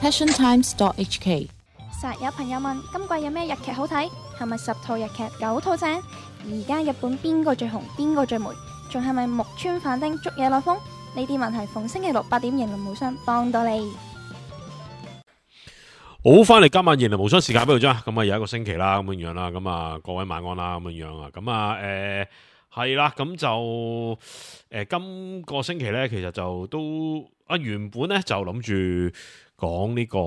passiontimes.hk。實有朋友問今季有咩日劇好睇？係咪10套日劇9套正？而家日本邊個最紅？邊個最霉？仲係咪木村反町捉野內風？呢啲問題逢星期六8點迎龍無雙幫到你。好，翻嚟今晚迎龍無雙時間俾佢啫。咁啊，有一個星期啦，咁樣樣啦。咁啊，各位晚安啦，咁樣樣啊。咁啊，係啦，咁就今個星期咧，其實就都原本咧就諗住講呢個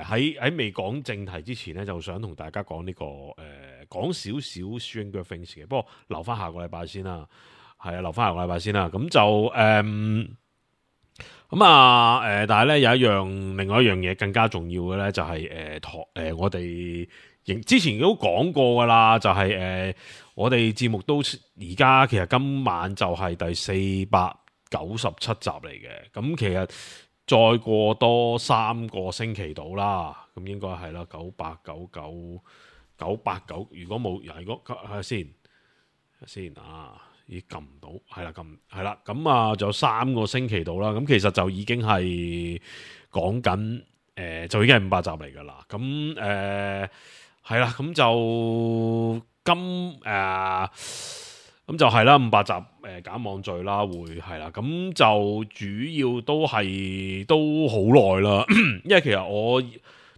喺未講正題之前咧，就想同大家講呢個講少少 Stranger Things 嘅，不過留翻下個禮拜先啦。係啊，留翻下個禮拜先啦。咁就但係咧有另外一樣嘢更加重要嘅咧，就係我哋之前都講過噶啦，就係我哋節目都而家其實今晚就係第497集嚟嘅。咁其實再過多3個星期到啦，咁應該係啦，9899，如果冇，如果睇先啊。咦，撳唔到，係啦，咁啊，就3個星期到啦，咁其實就已經係講緊，就已經係500集嚟噶啦，咁係啦，咁就咁就係啦，500集減網罪啦，會係啦，咁就主要都好耐啦，因為其實我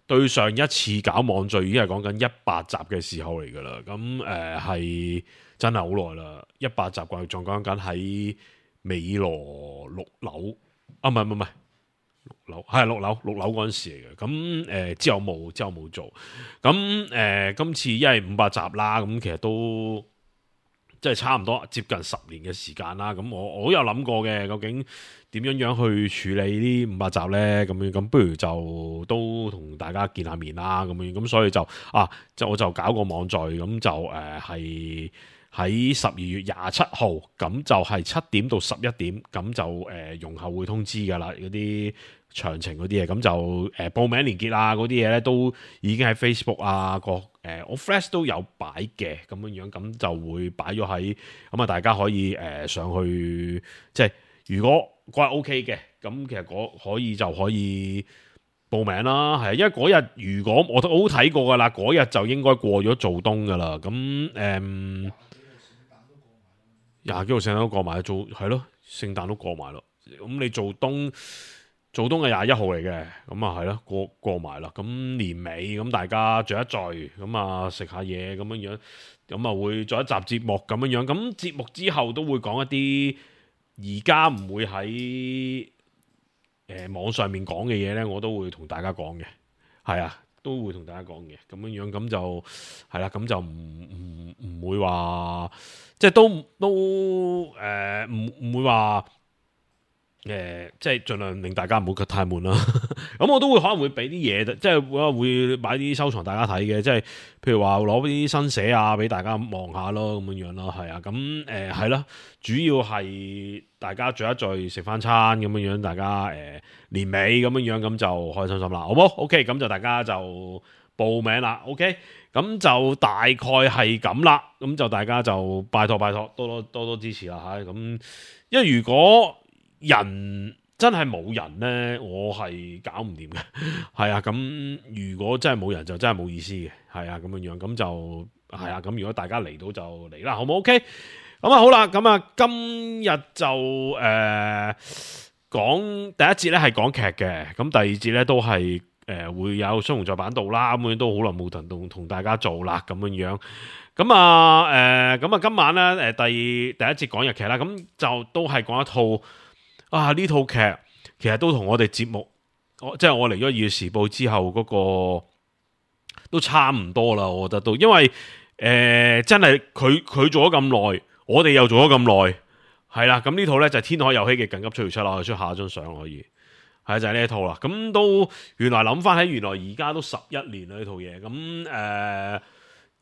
對上一次搞網罪已經係講緊100集嘅時候嚟噶啦，咁係。真係好耐啦，100集仲講緊喺美羅6樓啊，唔係6樓，係6樓嗰陣時嚟嘅。咁之後冇做。咁今次因為500集啦，咁其實都即係差唔多接近10年嘅時間啦。咁我有諗過嘅，究竟點樣去處理呢500集呢？咁不如就都同大家見下面啦。咁所以我就搞個網聚，咁就係。喺12月27號，咁就係7點到11點，咁就容後會通知㗎啦，嗰啲詳情嗰啲嘢，咁就報名連結啊嗰啲嘢咧，都已經喺 Facebook 啊我 Flash 都有擺嘅，咁樣，咁就會擺咗喺，咁啊大家可以上去，即係如果嗰日 OK 嘅，咁其實可以報名啦，係因為嗰日如果我都好睇過㗎啦，嗰日就應該過咗做冬㗎啦，咁廿幾號聖誕都過埋，係咯，聖誕都過埋咯。咁你做冬係21號嚟嘅，咁啊係咯，過埋啦。咁年尾咁大家聚一聚，咁啊食下嘢咁樣，咁啊會做一集節目咁樣。咁節目之後都會講一啲而家唔會喺網上面講嘅嘢咧，我都會同大家講嘅，係啊。都會同大家講嘅，咁樣咁就係啦，咁就唔會話，即係都唔會話即係盡量令大家唔好太悶啦。咁我都會可能會俾啲嘢，即係會買啲收藏大家睇嘅，即係譬如話攞啲新寫啊，俾大家望下咯，咁樣咯，係啊，咁係啦，主要係大家聚一聚食翻餐咁樣，大家年尾咁樣，咁就開心心啦，好冇 ？OK， 咁就大家就報名啦 ，OK， 咁就大概係咁啦，咁就大家就拜託多支持啦吓，咁因為如果人真係冇人呢，我係搞唔掂嘅，係啊，咁如果真係冇人就真係冇意思嘅，係啊，咁樣，咁就係啊，咁如果大家嚟到就嚟啦，好冇 ？OK， 咁啊好啦，咁啊今日就講第一節咧係講劇嘅，咁第二節咧都係會有雙雄在版度啦，咁樣都好耐冇同大家做啦，咁樣。咁啊今晚咧第一節講日劇啦，咁就都係講一套。呢套劇其實都同我哋節目，即係我嚟咗《二月時報》之後嗰個都差唔多啦，我覺得都，因為真係佢做咗咁耐，我哋又做咗咁耐，係啦，咁呢套咧就係《天海佑希嘅緊急出條出啦，我哋出下一張相可以，係就係呢一套啦，咁都原來諗翻起，原來而家都11年啦呢套嘢，咁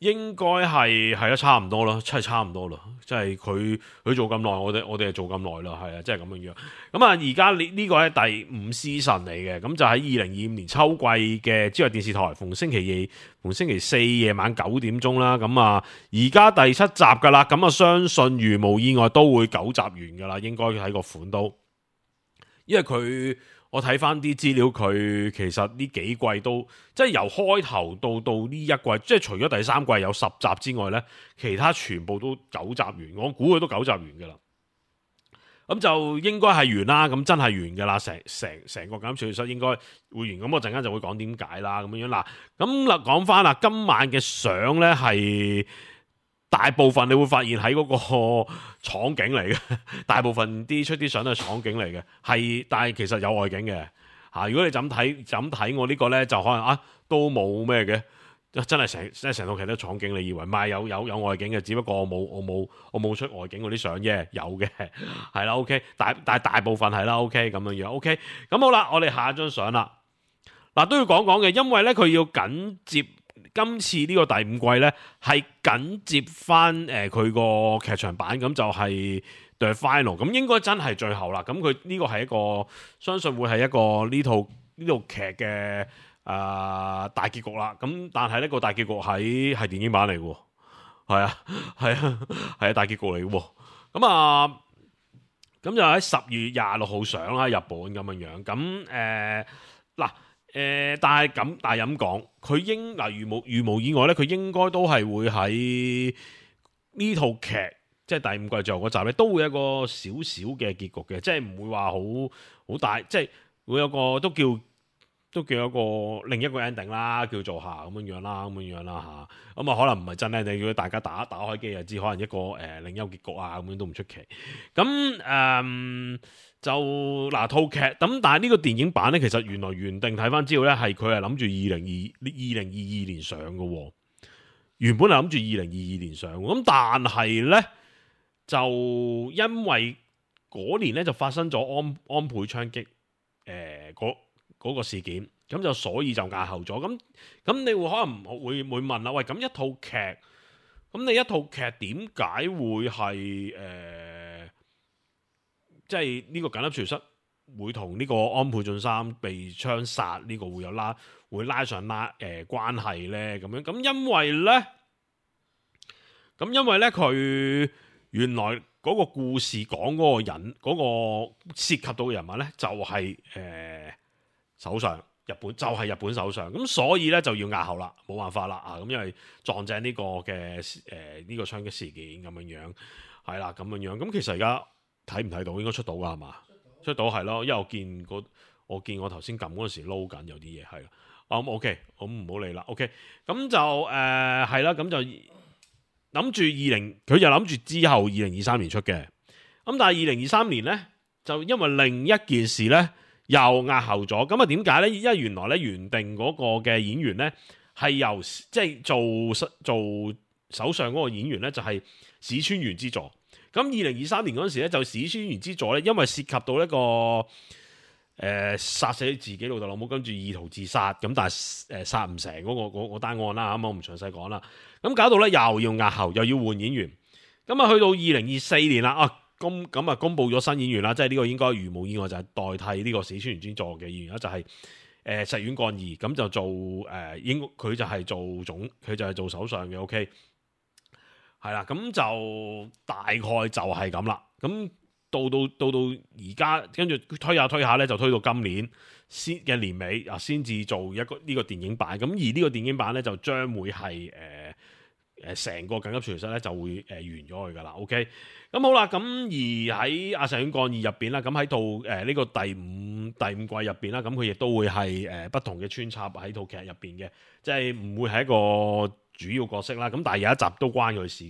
應該係咯，差唔多啦，真係差唔多啦，即係佢做咁耐，我哋係做咁耐啦，係啊，即係咁樣樣。咁啊，而家呢個係第5 season 嚟嘅，咁就喺2025年秋季嘅朝日電視台，逢星期四夜晚9點鐘啦。咁啊，而家第7集噶啦，咁啊，相信如無意外都會9集完噶啦，應該喺個款都，因為佢我睇翻啲資料，佢其實呢幾季都即係由開頭到呢一季，即係除咗第三季有10集之外呢，其他全部都9集完。我估佢都9集完㗎啦。咁就應該係完啦，咁真係完㗎啦，成個減少室應該會完。咁我陣間就會講點解啦，咁樣嗱。咁嗱講翻啦，今晚嘅相呢係大部分你會發現喺嗰個廠景嚟嘅，大部分出啲相都係廠景嚟嘅，但係其實有外景嘅嚇。如果你就咁睇我呢個呢，就可能都冇咩嘅。真係成套劇都廠景，你以為唔係有外景嘅？只不過我冇出外景嗰啲相啫，有嘅係啦。OK， 但係大部分係啦。OK 咁樣樣。OK， 咁好啦，我哋下一張相啦。嗱都要講講嘅，因為咧佢要緊接今次呢個第5季咧，係緊接翻佢個劇場版，咁就係 The Final， 咁應該真係最後啦。咁佢呢個係一個相信會係一個呢套劇嘅。大結局啦，咁但係呢個大結局係電影版嚟嘅，係大結局嚟嘅，咁就喺10月26號上啦，日本咁樣，咁但係咁講，佢如無意外咧，佢應該都係會喺呢套劇，即係第5季最後嗰集咧，都會有一個少少嘅結局嘅，即係唔會話好大，即係會有個都叫一個另一個 ending 啦，叫做咁樣啦嚇。咁可能唔係真 ending，如果大家打開機就知，可能一個另一個結局咁樣都唔出奇。咁就套劇咁，但係呢個電影版咧，其實原定睇翻資料咧，係佢係諗住2022年上嘅喎。原本係諗住2022年上，咁但係咧就因為嗰年咧就發生咗安倍槍擊嗰個事件，咁就所以就押後咗。咁你會可能會問啦，喂，咁一套劇，咁你一套劇點解會係即係呢個緊急傳室會同呢個安倍晉三被槍殺呢個會拉上關係呢？咁樣咁因為咧佢原來嗰個故事講嗰個人嗰個涉及到嘅人物咧就係首相，日本首相，咁所以咧就要押後啦，冇辦法啦咁因為撞正呢個嘅呢個槍擊事件咁樣，係啦咁樣，咁其實而家睇唔睇到？應該出到噶係嘛？出到係咯，因為我見我頭先撳嗰陣時撈緊有啲嘢係啦。OK， 咁唔好理啦。OK， 咁就係啦，咁就諗住佢就諗住之後2023年出嘅，咁但係2023年咧就因為另一件事咧。又押後咗，咁點解呢？因為原來咧原定嗰個嘅演員呢，係由即係做首相嗰個演員呢，就係市川元之助。咁2023年嗰陣時咧就市川元之助呢，因為涉及到一個殺死自己老豆老母，跟住意圖自殺，咁但係殺唔成嗰個單案啦，咁我唔詳細講啦。咁搞到呢，又要押後，又要換演員。咁去到2024年啦公布咗新演員啦，即係呢個應該如無意外就係代替呢個市川元之助嘅演員啦，就係石丸幹二，咁就做佢就係做首相嘅。OK， 係啦，咁就大概就係咁啦。咁到而家，跟住推下咧，就推到今年嘅年尾先至做呢個電影版。咁而呢個電影版咧就將會係成個緊急傳室咧就會完咗佢噶啦。OK。咁好啦，咁而喺阿石丸幹二入邊啦，咁喺套呢個第五季入邊啦，咁佢亦都會係不同嘅穿插喺套劇入邊嘅，即係唔會係一個主要角色啦。咁但係有一集都關佢事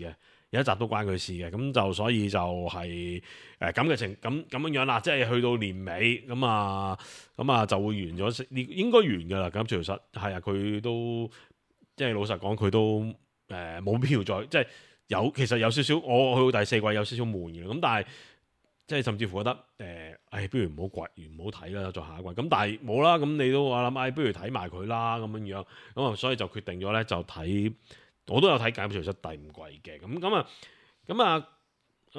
嘅，咁就所以就係咁嘅咁樣啦，即係去到年尾咁啊就會完咗呢，應該完噶啦。咁其實係啊，佢都即係老實講，佢都冇必要再即係。其實有少少，我去到第4季有少少悶嘅，咁但係即係甚至乎覺得不如唔好睇啦，再下一季。咁但係冇啦，咁你都話諗，不如睇埋佢啦咁樣，咁啊，所以就決定咗咧就睇，我都有睇《緊急傳室》第5季嘅，咁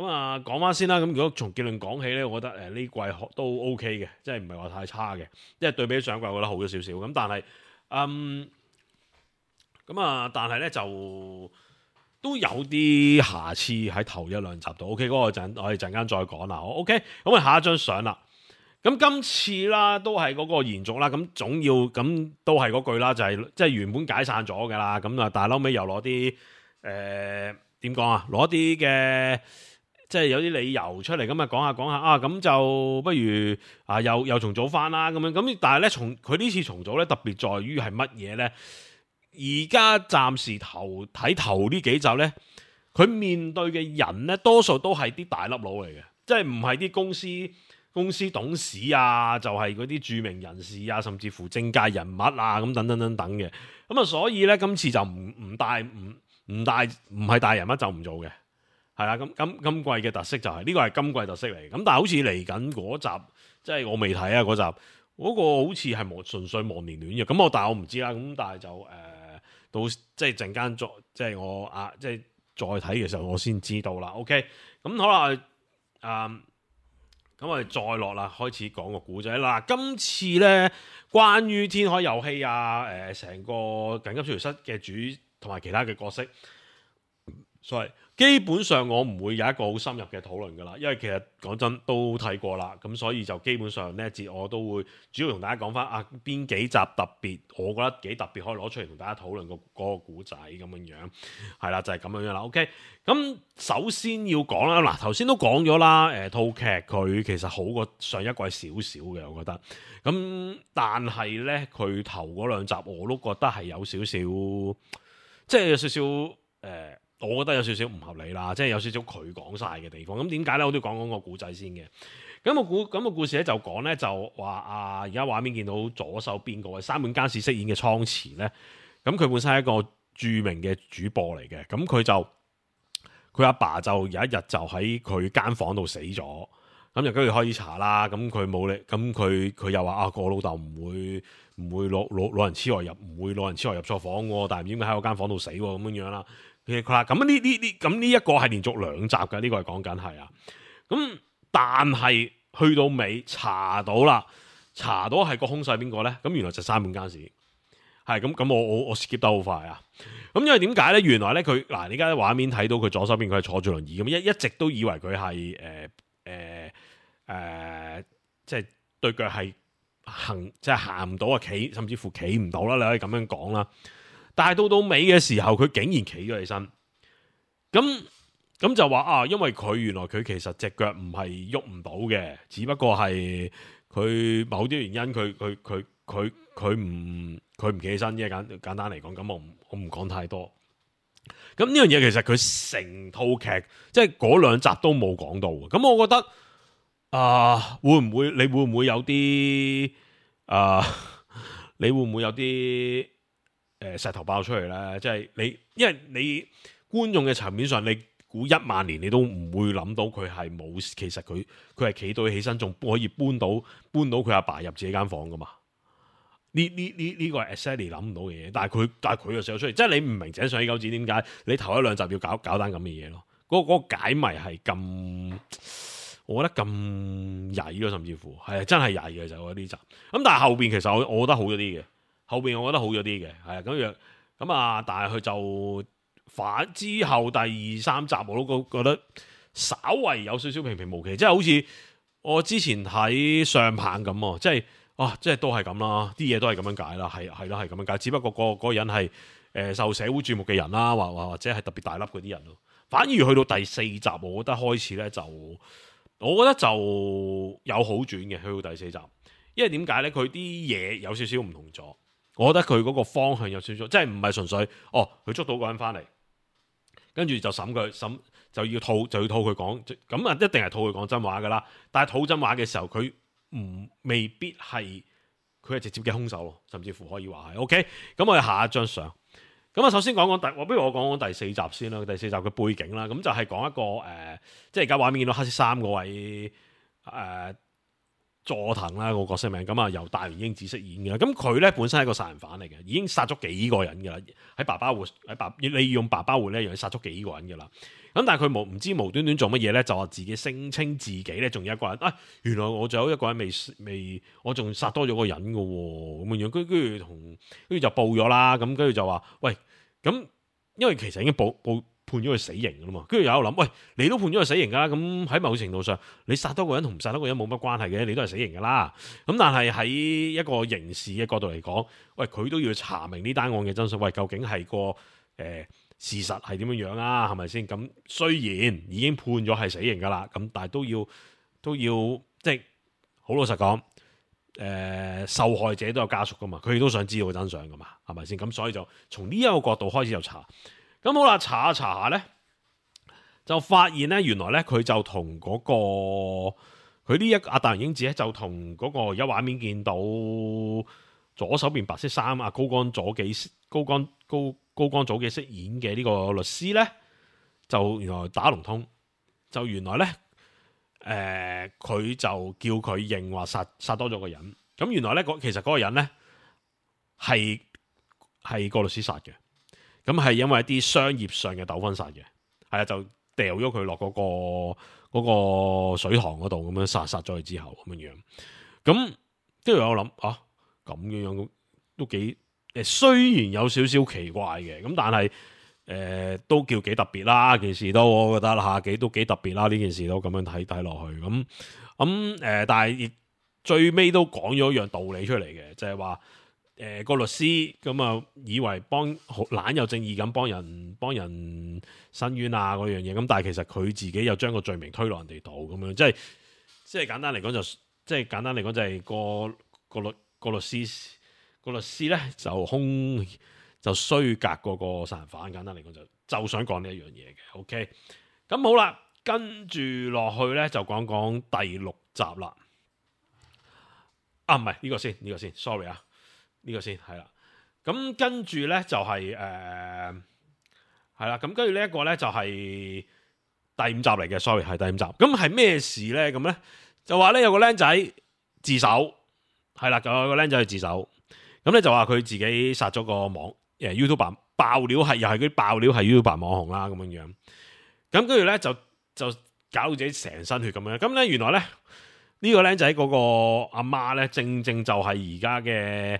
啊講翻先啦。咁如果從結論講起咧，我覺得呢季都 OK 嘅，即係唔係話太差嘅，即係對比上季我覺得好咗少少。咁但係但係咧就。都有啲瑕疵喺頭1-2集度，OK， 嗰個我哋陣間再講啦。OK， 咁啊下一張相啦。咁今次啦，都係嗰個延續啦，咁總要咁都係嗰句啦，就係即係原本解散咗㗎啦，咁啊，但係後尾又攞啲點講啊，攞啲嘅即係有啲理由出嚟，咁啊講下啊，咁就不如啊又重組翻啦咁樣，咁但係咧佢呢次重組咧特別在於係乜嘢咧？而家暫時睇頭呢幾集咧，佢面對嘅人咧多數都係啲大粒佬嚟嘅，即係唔係啲公司董事啊，就係嗰啲著名人士啊，甚至乎政界人物啊，咁等嘅。咁啊，所以咧今次就唔係大人物就唔做嘅，係啦。咁今季嘅特色就係呢個係今季特色嚟。咁但係好似嚟緊嗰集，即係我未睇啊嗰集，嗰個好似係純粹忘年戀嘅。咁但係我唔知啦。咁但係就到即係陣間即係我即係再睇嘅時候，我先知道啦。OK， 咁好啦，咁我哋再落啦，開始講個故仔啦。今次咧，關於天海佑希啊，成個緊急處理室嘅主同埋其他嘅角色，所以基本上我唔會有一個好深入嘅討論噶啦，因為其實講真都睇過啦，咁所以就基本上呢一節我都會主要同大家講翻邊幾集特別，我覺得幾特別可以攞出嚟同大家討論嗰個故仔咁樣，係啦就係咁樣啦。OK， 咁首先要講啦，嗱頭先都講咗啦，套劇佢其實好過上一季少少嘅，我覺得，咁但係呢，佢頭嗰兩集我都覺得係有少少，即係有少少我覺得有少少唔合理啦，即係有少少佢講晒嘅地方。咁點解咧？我都要講個故仔先嘅。咁個故事咧就講咧就話而家畫面見到左手邊嗰位山本耕史飾演嘅倉持咧，咁佢本身係一個著名嘅主播嚟嘅。咁佢阿爸就有一日就喺佢間房度死咗，咁就跟住開始查啦。咁佢冇力，咁佢又話我老豆唔會老人痴呆入，唔會老人痴呆入錯房喎，但係唔知點解喺我間房度死喎咁樣啦。咁呢一個係連續2集嘅，呢個係講緊係啊。咁但係去到尾查到係個兇手係邊個咧？咁原來就山本耕史係咁。我 skip 得好快啊。咁因為點解咧？原來咧佢你而家畫面睇到佢左手邊佢係坐住輪椅咁，一直都以為佢係即係對腳係即係行唔到啊，企甚至乎企唔到啦，你可以咁樣講啦。但係到尾嘅時候，佢竟然企咗起身，咁就話因為佢原來佢其實隻腳唔係喐唔到嘅，只不過係佢某啲原因，佢唔企起身啫。簡單嚟講，咁我唔講太多。咁呢樣嘢其實佢成套劇即係嗰2集都冇講到。咁我覺得你會唔會有啲你會唔會有啲石頭爆出嚟咧？即係因為你觀眾嘅層面上，你估10000年你都唔會諗到佢係冇，其實佢係企到起身，仲可以搬到佢阿爸入自己間房噶嘛？呢個係 exactly 諗唔到嘅嘢，但係佢又寫咗出嚟，即係你唔明井上喜久子點解你頭1-2集要搞單咁嘅嘢咯？嗰個解謎係咁，我覺得咁曳咯，甚至乎係真係曳嘅就係呢集。咁但係後邊其實我覺得好咗啲嘅。後邊我覺得好咗啲嘅，係啊咁但係佢就反之後第2、3集我都覺得稍為有少少平平無奇，即係好似我之前睇上棒咁，即係都係咁啦，啲嘢都係咁樣解啦，係咁樣解，只不過嗰個人係受社會注目嘅人啦，或者係特別大粒嗰啲人咯。反而去到第4集，我覺得開始咧我覺得就有好轉嘅，去到第4集，因為點解咧？佢啲嘢有少少唔同咗。我覺得佢嗰個方向有少少，即係唔係純粹佢捉到個人翻嚟，跟住就審就要套佢講，咁一定係套佢講真話噶啦。但係套真話嘅時候，佢未必係佢係直接嘅兇手咯，甚至乎可以話係。OK， 咁我哋下一張相。咁首先不如我講第4集先啦。第4集嘅背景啦，咁就係講一個即係而家畫面見到黑色衫嗰位佐藤啦，個角色名咁由大原英子飾演嘅。咁佢咧本身係一個殺人犯嚟嘅，已經殺咗幾個人嘅啦。喺爸爸會利用爸爸會咧，又殺咗幾個人嘅啦。咁但係佢唔知無端端做乜嘢咧，就話自己聲稱自己咧仲有一個人。原來我仲有一個人未，我仲殺多咗個人嘅喎。咁樣跟住就報咗啦。咁跟住就話喂，咁因為其實已經判判咗佢死刑噶啦嘛。跟住有諗，喂，你都判咗佢死刑噶啦，咁喺某程度上，你殺多個人同唔殺多個人冇乜關係嘅，你都係死刑噶啦。咁但係喺一個刑事嘅角度嚟講，喂，佢都要查明呢單案嘅真相，喂，究竟係個事實係點樣樣啊？係咪先？咁雖然已經判咗係死刑噶啦，咁但係都要即係好老實講，受害者都有家屬噶嘛，佢哋都想知道真相噶嘛，係咪先？咁所以就從呢一個角度開始就查。咁好啦，查下咧，就發現咧，原來咧佢就同嗰個佢呢一阿大人英子咧，就同嗰個而家畫面見到左手邊白色衫高江左紀飾演嘅呢個律師咧，就原來打龍通，就原來咧佢就叫佢認話殺多咗個人。咁原來咧其實嗰個人咧係個律師殺嘅。咁係因為一啲商業上嘅糾紛殺嘅，係啊，就掉咗佢落嗰個水塘嗰度，咁樣殺咗佢之後咁樣樣。咁跟住我諗咁樣都幾雖然有少少奇怪嘅，咁但係都叫幾特別啦。件事都我覺得都幾特別啦。呢件事都咁樣睇落去，但係亦最尾都講咗一樣道理出嚟嘅，就係話。個律師咁啊，以為懶有正義咁幫人申冤啊嗰樣嘢，咁但係其實佢自己又將個罪名推落人哋度咁樣，即係簡單嚟講就係個律師咧就衰格嗰個殺人犯，簡單嚟講就想講呢一樣嘢嘅。OK， 咁好啦，跟住落去咧就講講第6集啦。唔係呢個先 ，sorry 啊。呢個先係啦，咁跟住咧就係係啦，咁跟住呢一個咧就係第5集嚟嘅，sorry 係第5集。咁係咩事咧？咁咧就話咧有個僆仔自首，係啦，有個僆仔去自首，咁咧就話佢自己殺咗個YouTuber 爆料係又係嗰啲爆料係 YouTuber 網紅啦咁樣樣，咁跟住咧就搞到自己成身血咁樣，咁咧原來咧呢個僆仔嗰個阿媽咧正就係而家嘅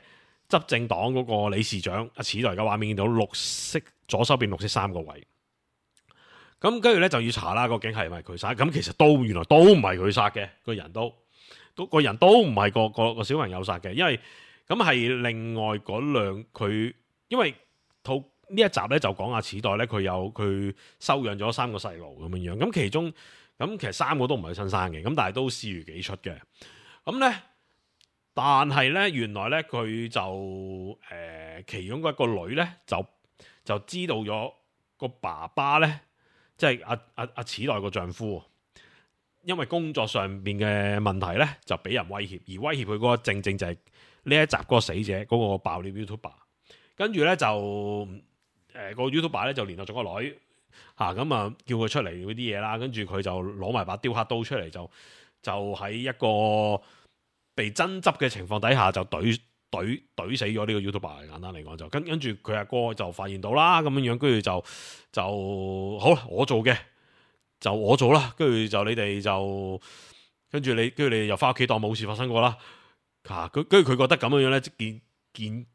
執政黨嗰個理事長阿史代，而家畫面見到綠色左手邊綠色衫個位，咁跟住咧就要查啦，究竟係咪佢殺？咁其實原來都唔係佢殺嘅，個人都唔係個小朋友殺嘅，因為咁係另外嗰兩佢，因為呢一集咧就講阿史代咧佢收養咗3個細路咁樣樣，咁其中咁其實3個都唔係佢親生嘅，咁但係都視如己出嘅，咁咧。但係咧，原來咧佢就其中一個女咧就知道咗個爸爸咧，即係阿史代個丈夫，因為工作上邊嘅問題咧就俾人威脅，而威脅佢嗰個正就係呢一集嗰個死者嗰個爆料 YouTuber， 跟住咧就個 YouTuber 咧就聯絡咗個女咁啊叫佢出嚟嗰啲嘢啦，跟住佢就攞埋把雕刻刀出嚟，就喺一個被爭執嘅情況底下就懟死咗呢個 YouTuber， 簡單嚟講就跟住佢阿哥就發現到啦咁樣樣，跟住就好啦，我做嘅就我做啦，跟住就你哋就跟住你又翻屋企當冇事發生過啦，跟住佢覺得咁樣樣咧，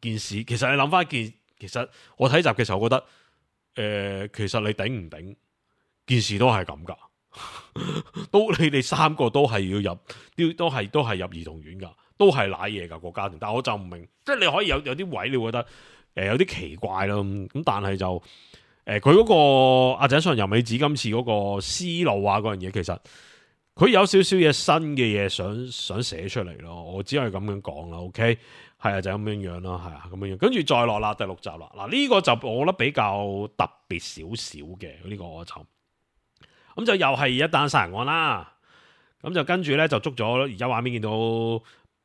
件事其實你諗翻其實我睇集嘅時候，我覺得其實你頂唔頂件事都係咁噶。你哋3個都係要入，都係入兒童院噶，都係瀨嘢噶個家庭。但係我就唔明，即係你可以有啲位，你會覺得有啲奇怪咯。咁但係就佢嗰個阿井上由美子今次嗰個思路啊嗰樣嘢，其實佢有少少嘢新嘅嘢想寫出嚟咯。我只係咁樣講啦。OK， 係啊，就咁樣樣咯，係啊，咁樣樣。跟住再落啦，第6集啦。嗱，呢個就我覺得比較特別少少嘅呢個我就。咁就又係一單殺人案啦，咁就跟住咧就捉咗而家畫面見到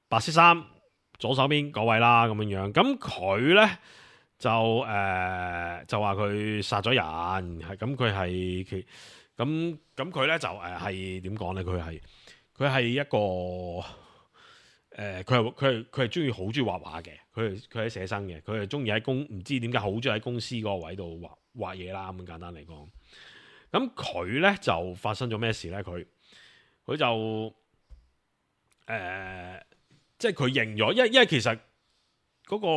白色衫左手邊嗰位啦咁樣樣，咁佢咧就話佢殺咗人，係咁佢係咁佢咧就係點講咧？佢係一個佢係中意好中意畫畫嘅，佢係寫生嘅，佢係中意喺唔知點解好中意喺公司嗰個位度畫嘢啦，咁簡單嚟講。咁佢咧就發生咗咩事咧？佢就即係佢認咗，因為其實嗰個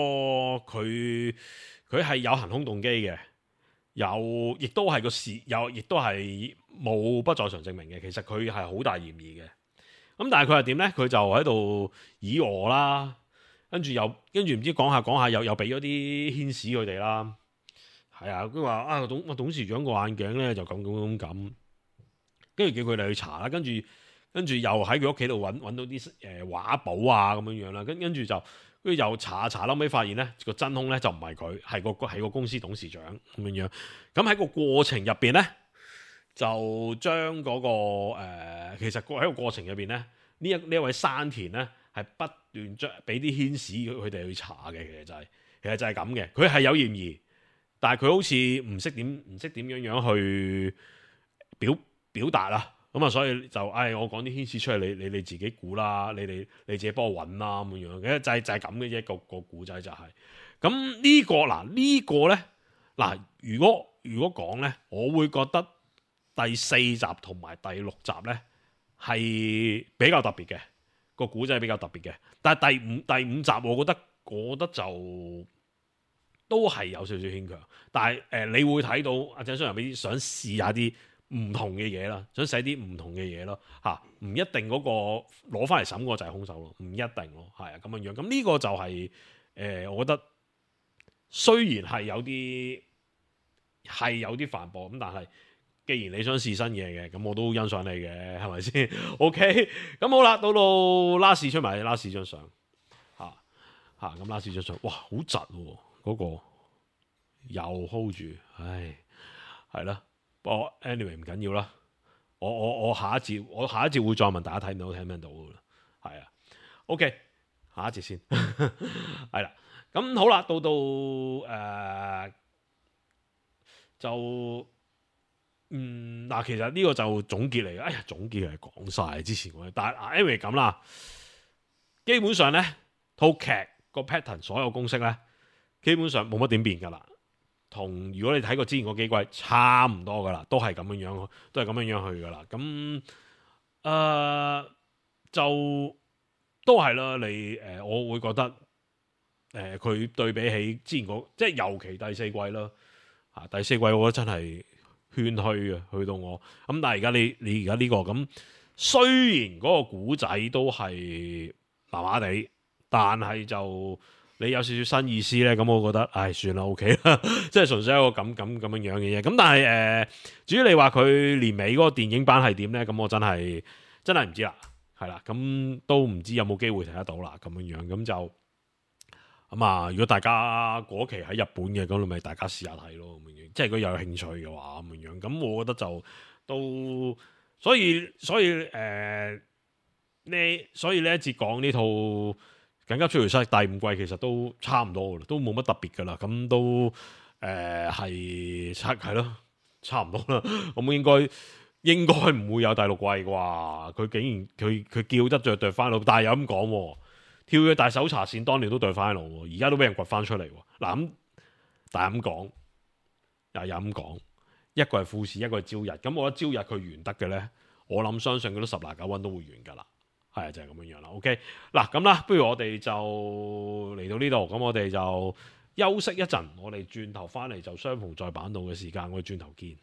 佢係有行兇動機嘅，亦都係個事，亦都係冇不在場證明嘅。其實佢係好大嫌疑嘅。咁但係佢係點咧？佢就喺度以訛啦，跟住唔知講下又俾咗啲牽使佢哋啦。係啊，佢話啊董事長個眼鏡咧就咁，跟住叫佢哋去查啦。跟住又喺佢屋企度揾到啲畫簿啊咁樣啦。跟住又查，後尾發現咧個真兇咧就唔係佢，係個公司董事長咁樣。咁喺個過程入邊咧，就將嗰個其實喺個過程入邊咧，呢一位山田咧係不斷將俾啲牽使佢哋去查嘅。其實就係咁嘅。佢係有嫌疑，但係佢好似唔識點樣去表達啦。咁啊，所以就我講啲牽使出嚟，你自己估啦，你自己幫我揾啦咁樣嘅，就係咁嘅啫。個古仔就係咁。呢個咧嗱，如果講咧，我會覺得第4集同埋第6集咧係比較特別嘅，個古仔比較特別嘅。但係第五集我覺得就都係有少少牽強。但係你會睇到阿井上人想試下啲唔同嘅嘢啦，想寫啲唔同嘅嘢咯嚇，唔一定嗰個攞翻嚟審嗰個就係兇手咯，唔一定咯，係啊咁樣樣。咁呢個就係我覺得雖然係有啲反駁咁，但係既然你想試新嘢嘅，咁我都欣賞你嘅，係咪先？OK， 咁好啦，到拉士出埋拉士張相咁拉士張相，哇好窒喎，嗰個又 hold 住，唉係啦。anyway 唔緊要啦，我下一節會再問大家睇唔睇到噶啦，係啊 ，OK， 下一節先，係啦，咁好啦，到嗱，其實呢個就總結嚟嘅，總結係講晒之前嗰啲，但係 anyway 咁啦，基本上咧套劇個 pattern 所有公式咧，基本上冇乜點變噶啦。同如果你睇過之前嗰幾季差唔多噶啦，都係咁樣去噶啦。咁就都係啦。我會覺得佢對比起之前即係尤其第4季啦，第4季我覺得真係唏噓啊，去到我咁。但係而家你而家呢個咁，雖然嗰個古仔都係麻麻地，但係就你有少少新意思咧，咁我覺得，算啦 ，OK 啦，即係純粹一個咁樣嘅嘢。咁但係至於你話佢年尾嗰個電影版係點咧，咁我真係唔知啦，係啦，咁都唔知有冇機會睇得到啦，咁樣咁就咁啊。如果大家嗰期喺日本嘅，咁你咪大家試下睇咯，咁樣，即係如果有興趣嘅話，咁樣，咁我覺得就都所以呢一節講呢套緊急追隨室第5季其實都差唔多噶啦，都冇乜特別噶啦，咁都係咯，差唔多啦。咁應該唔會有第6季啩？佢竟然佢叫得着對翻路，但係又咁講，跳躍大搜查線當年都對翻路，而家都俾人掘翻出嚟。嗱咁，但係咁講又咁講，一個係富士，一個係朝日。咁我覺得朝日佢完得嘅咧，我諗相信佢都10拿9穩都會完噶啦。係就係咁樣樣啦。OK， 嗱咁啦，不如我哋就嚟到呢度，咁我哋就休息一陣，我哋轉頭翻嚟就相逢在坂道嘅時間，我哋轉頭見。